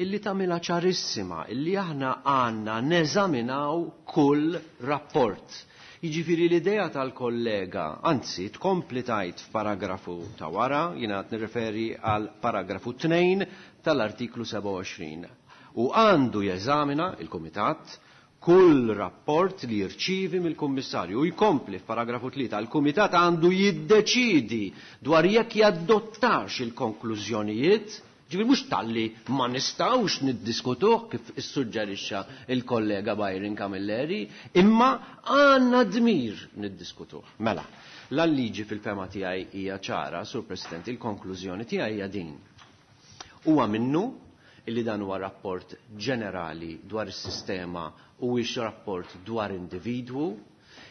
illi tagħmilha ċarissima illi aħna għandna neżaminaw kull rapport. Jiġifieri l-idea tal-kollega, anzi tkompli tajt f'paragrafu ta' wara, jiena qed nirreferi għal paragrafu tnejn tal-artiklu sebgħa u għoxrin. U għandu jeżamina il-Kumitat kull rapport li jirċivi mill-Kummissarju. U jkompli f'paragrafu tlieta, il-Kumitat għandu jiddeċidi dwar jekk jaddottax il-konklużjonijiet. Ġifieri mhux talli ma nistgħux niddiskutuh kif issuġġerixxa il-kollega Byron Camilleri, imma għandna dmir niddiskutuh. Mela, l-liġi fil-fema tiegħi hija ċara, Sur President, il-konklużjoni tiegħi hija din. Huwa minnu illi dan huwa rapport ġenerali dwar is-sistema u huwiex rapport dwar individwu.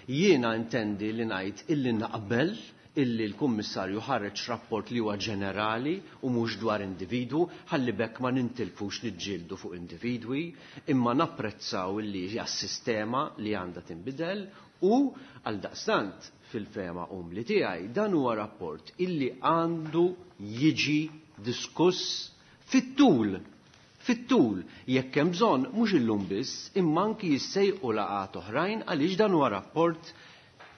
Jiena intendi li ngħid illi naqbel illi l-Kummissarju ħareġ rapport li huwa ġenerali u mhux dwar individwu, ħalli bekk ma nintilfux niġġieldu fuq individwi, imma napprezzaw illi hija s-sistema li għandha tinbidel u għaldaqstant fil-fema umli tiegħi dan huwa rapport illi għandu jiġi diskuss fit-tul. Fit-tul, jekk hemm bżonn mhux illum biss, imma anki jissejqu laqgħat oħrajn għaliex dan huwa rapport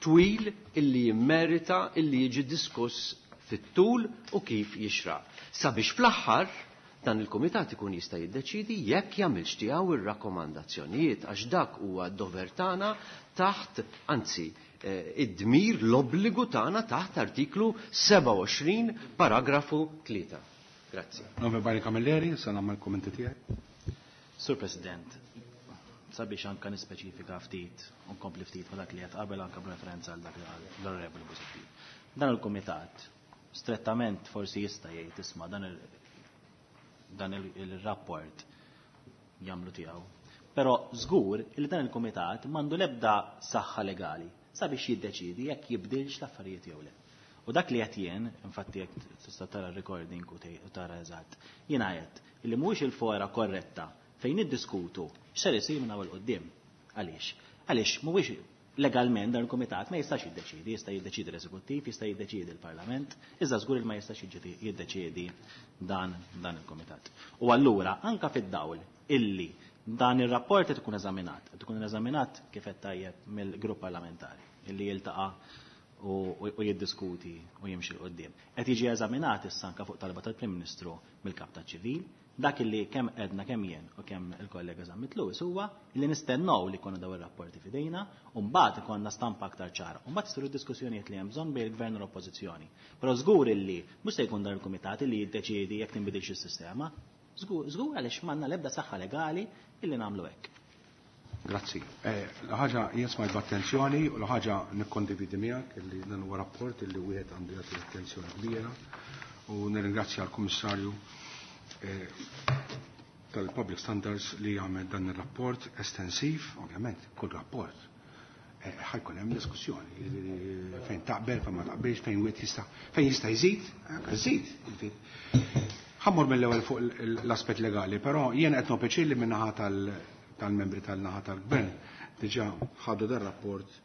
twil illi jimmerita illi jiġi diskuss fit-tul u kif jixraq. Sabiex fl-aħħar dan il-kumitat ikun jista' jiddeċidi jekk jagħmilx tiegħu ir-rakkomandazzjonijiet għax dak huwa d-dover tagħna taħt, anzi, id-dmir l-obbligu tagħna taħt artiklu sebgħa u għoxrin paragrafu tlieta. Grazzi. Nove Byron Camilleri, se nagħmel kummenti tiegħi. Sur President, sabiex anka nispeċifika ftit u nkompli ftit ma dak li qed qabel anka b'referenza għal dak li qal l-Onorevoli Busuttil. Dan il-kumitat strettament forsi jista' jgħid isma' dan il dan il-rapport jagħmlu tiegħu. Però żgur li dan il-kumitat m'għandu l-ebda saħħa legali sabiex jiddeċidi jekk jibdilx l-affarijiet jew le. U dak li qed jien, infatti jekk tista' tara r-recording u tara eżatt, jiena qed illi mhuwiex il-fora korretta fejn niddiskutu x'ser isir minn hawn quddiem. Għaliex? Għaliex mhuwiex legalment dan il-kumitat ma jistax jiddeċiedi, jista' jiddeċiedi l-eżekuttiv, jista' jiddeċiedi l-Parlament, iżda żgur li ma jistax jiddeċiedi dan dan il-kumitat. U allura anka fid-dawl illi dan ir-rapport qed ikun eżaminat, qed ikun eżaminat kif qed tajjeb mill-grupp parlamentari illi jiltaqa' u jiddiskuti u jimxi l quddiem. Qed jiġi eżaminat issa anke fuq talba tal-Prim Ministru mill-Kap taċ-Ċivil. Dak illi kemm edna kemm jien u kemm il-kollega Zammit Lewis huwa li nistennew li jkollna dawn ir-rapporti f'idejna u mbagħad ikollna stampa aktar ċara. U mbagħad isiru diskussjonijiet li hemm bżonn bejn il-Gvern u l-Oppożizzjoni. Però żgur illi mhux se jkun dan il-kumitat illi jiddeċiedi jekk tinbidilx is-sistema. Żgur żgur għaliex m'għandna l-ebda saħħa legali illi nagħmlu hekk. Grazzi. L-ħaġa jien smajt b'attenzjoni u l-ħaġa nikkondividi miegħek illi dan huwa rapport illi wieħed għandu jagħti attenzjoni kbira u nirringrazzja l-Kummissarju tal-Public Standards li għamel dan il-rapport estensiv, ovvjament, kull rapport. Ħajkun hemm diskussjoni fejn taqbel, fejn ma taqbilx, fejn wieħed jista' fejn jista' jżid, żid. Ħammur mill-ewwel fuq l-aspett legali, però jien qed nopeċi li min-naħa tal-membri tal-naħa tal-gvern diġà ħadu dan rapport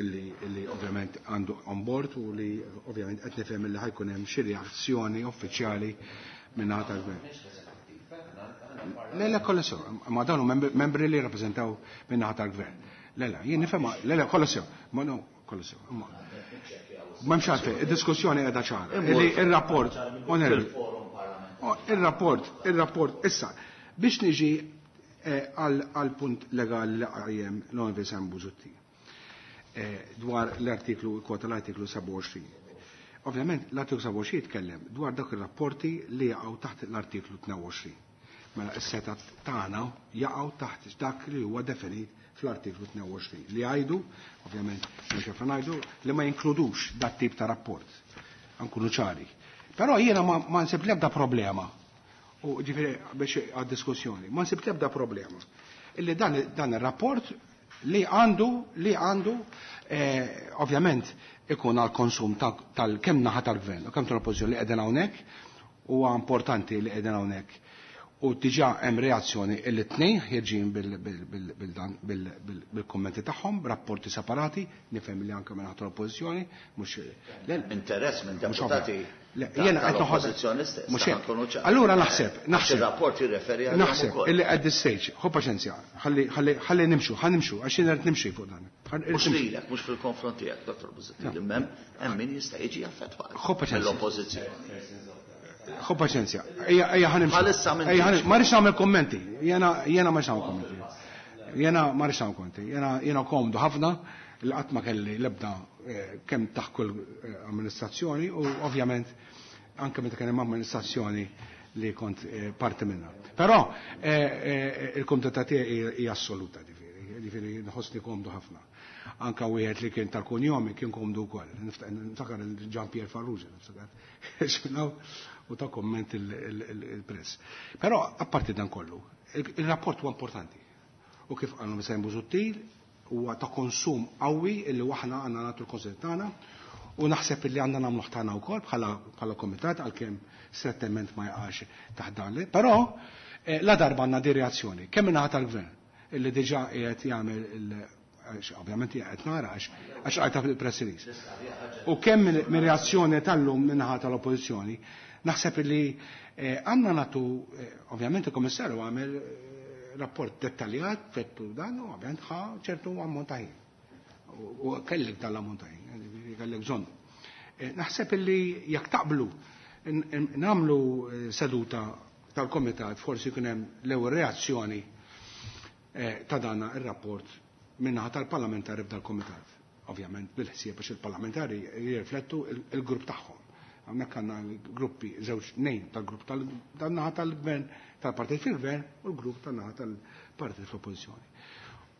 illi illi ovvjament għandu on board u li ovvjament qed nifhem li ħajkun hemm xi reazzjoni uffiċjali min-naħa tal-gvern. Le, le, kollha sew, ma dawn membri li rappreżentaw min-naħa tal-gvern. Le, le, jien nifhem, le, le, kollha sew, ma no, kollha sew. M'hemmx għalfejn, id-diskussjoni qiegħda ċara. Il-rapport, il-rapport, il-rapport, issa, biex niġi għal punt legali li qajjem l-Onorevoli Sam Busuttil dwar l-artiklu, kwota l-artiklu sebgħa u għoxrin. Ovvjament l-artiklu sebgħa u għoxrin jitkellem dwar dak ir-rapporti li jaqgħu taħt l-artiklu tnejn u għoxrin. Mela s-seta tagħna jaqgħu taħt dak li huwa definit fl-artiklu tnejn u għoxrin li jgħidu, ovvjament mhux kif ngħidu, li ma jinkludux dat tip ta' rapport. Nkunu ċari. Però jiena ma, ma nsib l-ebda problema. U ġifieri biex għad-diskussjoni, ma nsib l-ebda problema. Illi dan, dan ir-rapport li għandu, li għandu eh, ovvjament ikun għal konsum tal-kemm naħa tal-gvern u kemm tal-oppożizzjoni li qegħdin hawnhekk, huwa importanti li qegħdin hawnhekk. U diġà hemm reazzjoni illi tnejn ħierġin bil-kummenti tagħhom, b'rapporti separati, nifhem li anke minn tal-oppożizzjoni, mhux interess minn deputati jiena qed tal-oppożizzjoni stess. Mhux hekk. Allura naħseb, naħseb. Ir-rapport jirreferi għal Naħseb illi at this stage, ħu paċenzja, ħalli ħalli ħalli nimxu, ħa nimxu, għax jiena rrid nimxi fuq dan. Mhux lilek, mhux fil-konfront tiegħek, Dottor Busuttil, imma hemm min jista' jiġi affettwat Ħu paċenzja. mill-oppożizzjoni. Ħu paċenzja. Ejja, ejja ħa nimxu. Bħalissa minn Ejja, ħa ma rridx nagħmel kummenti. Jiena jiena ma rridx nagħmel kummenti. Jiena ma rridx nagħmel kummenti. Jiena jiena komdu ħafna li qatt ma kelli l-ebda kemm taħt kull amministrazzjoni u ovvjament anke meta kien hemm amministrazzjoni li kont parti minnha. Però il-kumdità tiegħi hija assoluta, ġifieri, ġifieri nħossni komdu ħafna. Anka wieħed li kien tal-kunjomi kien komdu wkoll. Niftakar il-Jean Pierre Farrugia, niftakar. U ta' komment il-press. Però apparti dan kollu, il-rapport huwa importanti. U kif qalu Misajn Busuttil, huwa ta' konsum qawwi illi aħna għandna nagħtu l-konsent tagħna u naħseb illi għandna nagħmlu tagħna wkoll bħala komitat għalkemm strettament ma jaqax taħt dan. Però la darba għandna di reazzjoni, kemm min-naħa tal-gvern illi diġà qiegħed jagħmel ovvjament qed nara għax għax qajta fil-press release. U kemm minn reazzjoni tal-lum min-naħa tal-oppożizzjoni, naħseb illi għandna nagħtu, ovvjament il-Kummissarju għamel rapport dettaljat fettu dan u ovvjament ħa ċertu ammont ta' ħin. U kellek dan l-ammont ta' ħin, kellek bżonn. Naħseb illi jekk taqblu nagħmlu seduta tal-komitat forsi jkun hemm l-ewwel reazzjoni ta' dan ir-rapport min-naħa tal-parlamentari f'dal-komitat. Ovvjament bil-ħsieb biex il-parlamentari jirriflettu il-grupp tagħhom. Hawnhekk għandna gruppi żewġ tnejn tal-grupp tan-naħa tal-gvern, tal-partit fil-gvern u l-grupp tan-naħa tal-partit fl-oppożizzjoni.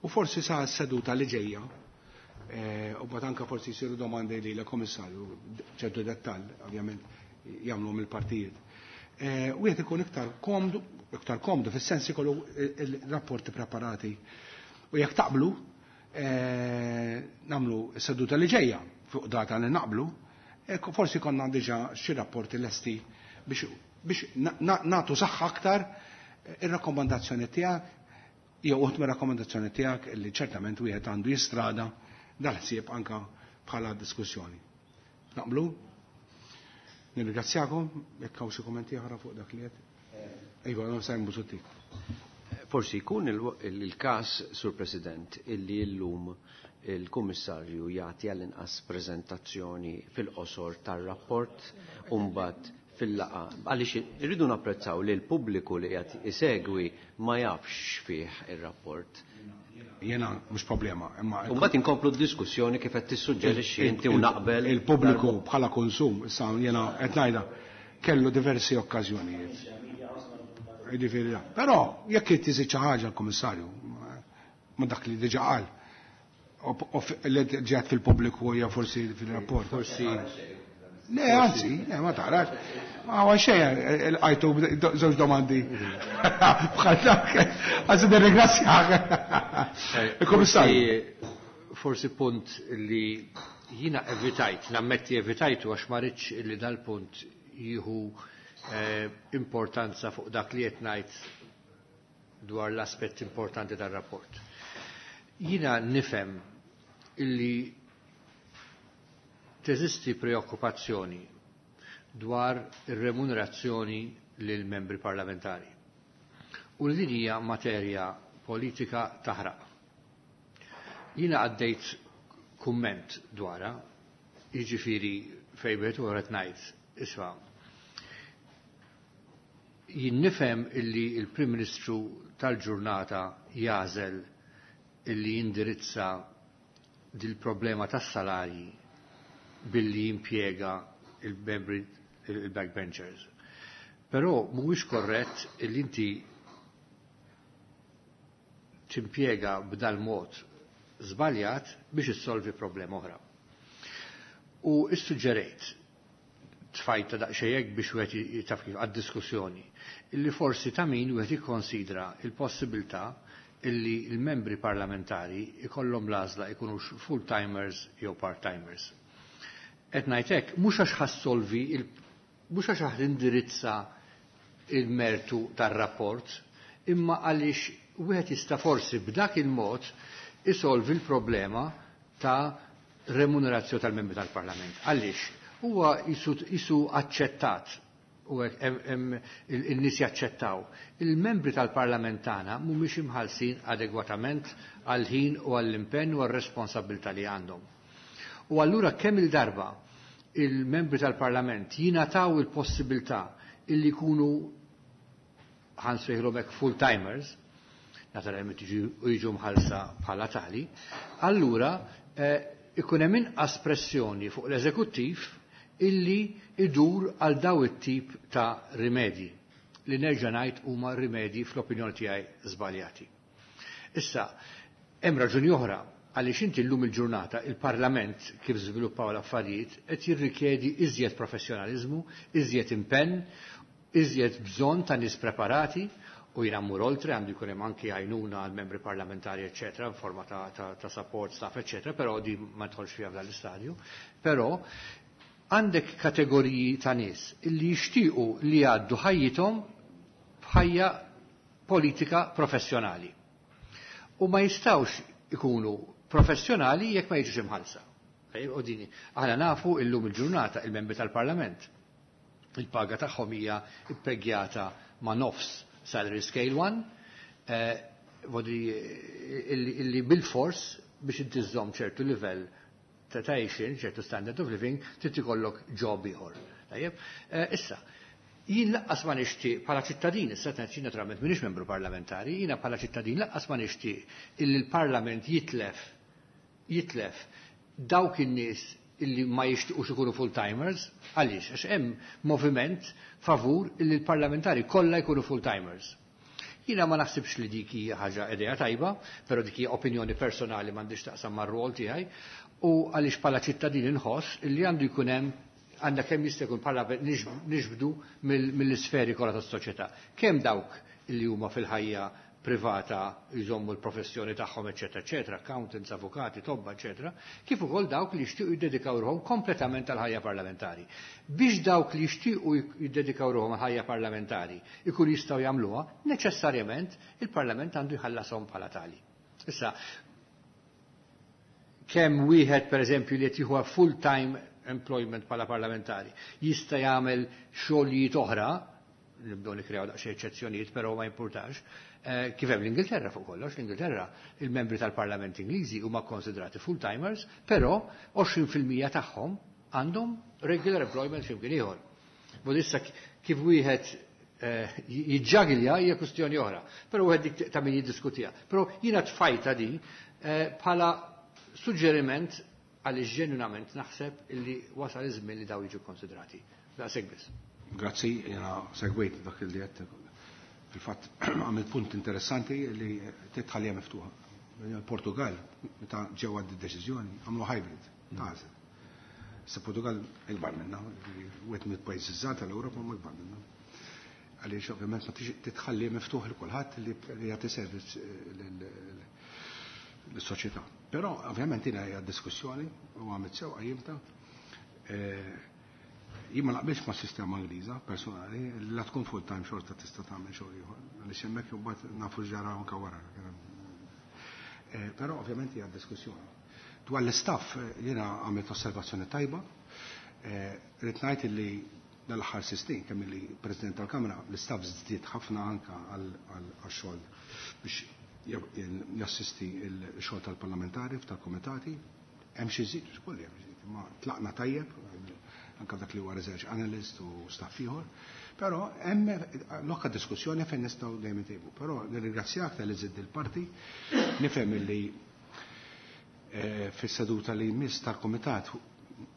U forsi sa seduta li ġejja, u mbagħad anke forsi jsiru domandi lil komissarju ċertu dettall, ovvjament jagħmluhom il-partijiet. Wieħed ikun iktar komdu, iktar komdu fis-sens ikollu il-rapporti preparati. U jekk taqblu, nagħmlu seduta li ġejja fuq data li naqblu, forsi konna diġà xi rapporti lesti biex biex nagħtu saħħa aktar ir-rakkomandazzjoni tiegħek jew uħud mir-rakkomandazzjoni tiegħek li ċertament wieħed għandu jistrada dal-ħsieb anka bħala diskussjoni. Naqblu? Nirringrazzjakom, jekk hawn xi kummenti oħra fuq dak li qed. Iva, Sajm Busuttil. Forsi jkun il-każ, Sur President, illi llum il-Kummissarju jagħti għall-inqas preżentazzjoni fil-qosor tar-rapport u mbagħad fil-laqgħa. Għaliex irridu napprezzaw li l-pubbliku li qiegħed isegwi ma jafx fih ir-rapport. Jiena mhux problema, imma U mbagħad inkomplu d-diskussjoni kif qed tissuġġerixxi inti u naqbel. Il-pubbliku bħala konsum, issa jiena qed ngħidha, kellu diversi okkażjonijiet. Jiġifieri, però jekk irid iżid xi ħaġa l-Kummissarju, ma dak li diġà qal, li ġiet fil-pubbliku jew forsi fil-rapport. Forsi. Le, anzi, le, ma tarax. Ma huwa xejn, għajtu żewġ domandi. Bħal dak, anzi nirringrazzjak. Il-Kummissarju. Forsi punt li jiena evitajt, nammetti evitajtu għax ma rridx li dal-punt jieħu importanza fuq dak li qed ngħid dwar l-aspett importanti tar-rapport. Jiena nifhem illi teżisti preokkupazzjoni dwar ir-remunerazzjoni lil membri parlamentari. U li din hija materja politika taħraq. Jiena għaddejt kumment dwarha, jiġifieri fejn wieħed u qed ngħid, isma' jien nifhem illi il-Prim Ministru tal-ġurnata jażel illi jindirizza dil-problema tas-salarji billi jimpjega il-membri il-backbenchers. Però mhuwiex korrett li inti timpjega b'dal mod żbaljat biex issolvi problema oħra. U issuġġerejt tfajta daqsxejn biex wieħed taf kif għad-diskussjoni, illi forsi ta' min wieħed jikkonsidra il-possibilità illi l-membri parlamentari ikollhom l-għażla jkunux full-timers jew part-timers. Qed ngħid hekk mhux għax ħassolvi mhux għax ħa indirizza il-mertu tar-rapport, imma għaliex wieħed jista' forsi b'dak il-mod isolvi l-problema ta' remunerazzjoni tal-membri tal-Parlament. Għaliex huwa jisu aċċettat u il-nies jaċċettaw. Il-membri tal-Parlament tagħna mhumiex imħallsin adegwatament għall-ħin u għall-impenn u għar-responsabilità li għandhom. U allura kemm il-darba il-membri tal-Parlament jingħataw il-possibilità illi jkunu ħa nsejħilhom hekk full-timers, naturalment jiġu mħallsa bħala tali, allura ikun hemm inqas pressjoni fuq l-eżekuttiv illi idur għal daw it-tip ta' rimedji li nerġa' ngħid huma rimedji fl-opinjoni tiegħi żbaljati. Issa, hemm raġuni oħra għaliex inti llum il-ġurnata il-Parlament kif żviluppaw l-affarijiet qed jirrikjedi iżjed professjonaliżmu, iżjed impenn, iżjed bżonn ta' nies preparati u jiena mmur oltre għandu jkun hemm anki għajnuna għal membri parlamentari eċetera, forma ta', ta, ta' support staff eċetera, però di ma nidħolx fiha f'dan l-istadju. Però għandek kategoriji ta' nies illi jixtiequ li jgħaddu ħajjithom b'ħajja politika professjonali. U ma jistgħux ikunu professjonali jekk ma jiġux imħallsa. U dini, aħna nafu illum il-ġurnata il-membri tal-Parlament. Il-paga tagħhom hija ippegjata ma' nofs salary scale one, vodi illi bil-fors biex inti żżomm ċertu livell ta' għajxien, ċertu standard of living, trid ikollok job ieħor. Tajjeb? Issa, jien lanqas ma nixtieq bħala ċittadin, issa qed naturalment m'iniex membru parlamentari, jiena bħala ċittadin lanqas ma nixtieq illi l-Parlament jitlef jitlef dawk in-nies illi ma jixtiequx ikunu full-timers, għaliex, għax hemm moviment favur illi l-parlamentari kollha jkunu full-timers. Jiena ma naħsibx li dik hija ħaġa idea tajba, però dik hija opinjoni personali m'għandix taqsam mar-rol tiegħi, u għaliex bħala ċittadin inħoss illi għandu jkun hemm għandha kemm jista' jkun bħala niġbdu mill-isferi kollha tas-soċjetà. Kemm dawk illi huma fil-ħajja privata jżommu l-professjoni tagħhom, eċetera, eċetera, accountants, avukati, tobba, eċetera, kif ukoll dawk li jixtiequ jiddedikaw ruħhom kompletament għal ħajja parlamentari. Biex dawk li jixtiequ jiddedikaw ruħhom għal ħajja parlamentari ikun jistgħu jagħmluha, neċessarjament il-Parlament għandu jħallashom bħala tali. Issa, kemm wieħed pereżempju li qed jieħu full-time employment bħala parlamentari jista' jagħmel xogħlijiet oħra, nibdew nikrew daqsxejn eċċezzjonijiet, però ma jimpurtax, kif hemm l-Ingilterra fuq kollox, l-Ingilterra il-membri tal-Parlament Ingliżi huma konsidrati full-timers, però għoxrin fil-mija tagħhom għandhom regular employment x'imkien ieħor. Vol issa kif wieħed jiġġagilja hija kwistjoni oħra, però wieħed dik ta' min jiddiskutiha. Però jiena tfajta di bħala suġġeriment għaliex ġenwinament naħseb illi wasal iż-żmien li daw jiġu konsidrati. Daqshekk biss. Grazzi, jiena segwejt dak li qed fil-fatt għamilt punt interessanti li titħallija miftuħa. Il-Portugal, meta ġew għad deċiżjoni, għamlu hybrid, tażel. Issa Portugal ikbar minna, wieħed mill-pajjiżi żgħar tal-Ewropa ma ikbar minna. Għaliex ovvjament ma titħalli miftuħ lil kulħadd li jagħti servizz lis-soċjetà. Però ovvjament jiena hija diskussjoni u għamilt sew qajjimta. Jien ma naqbilx ma' sistema Ingliża personali, li la tkun full time xorta tista' tagħmel xogħol ieħor. Għaliex hemmhekk imbagħad nafu x'ġara anke wara. Però ovvjament hija diskussjoni. Dwar l-istaff jiena għamilt osservazzjoni tajba. Rrid ngħid li dal-aħħar snin kemm li President tal-Kamra l-istaff żdied ħafna anke għal xogħol biex jassisti l-xogħol tal-parlamentari tal-komitati. Hemm xi żid, xkolli hemm żid, imma tlaqna tajjeb anke dak li huwa research analyst u staff ieħor. Però hemm lokka diskussjoni fejn nistgħu dejjem intejbu. Però nirringrazzjak tal-li żidd il-parti, nifhem illi fis-seduta li jmiss tal-kumitat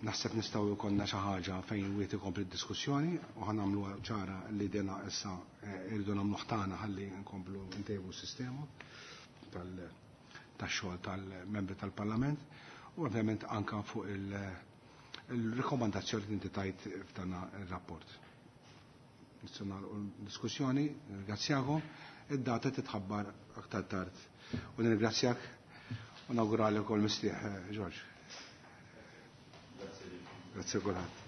Naħseb nistgħu jkollna xi ħaġa fejn wieħed ikompli d-diskussjoni u ħa nagħmlu ċara li dena issa irridu nagħmlu ħtana ħalli nkomplu ntejbu s-sistema tax-xogħol tal-membri tal-Parlament u ovvjament anka fuq il-rekomandazzjoni li inti tajt f'dan ir-rapport. Nistgħu nagħlqu l-diskussjoni, nirringrazzjakom, id-data titħabbar aktar tard. U nirringrazzjak u nawguralek ukoll mistrieħ, George. Grazie kulħadd.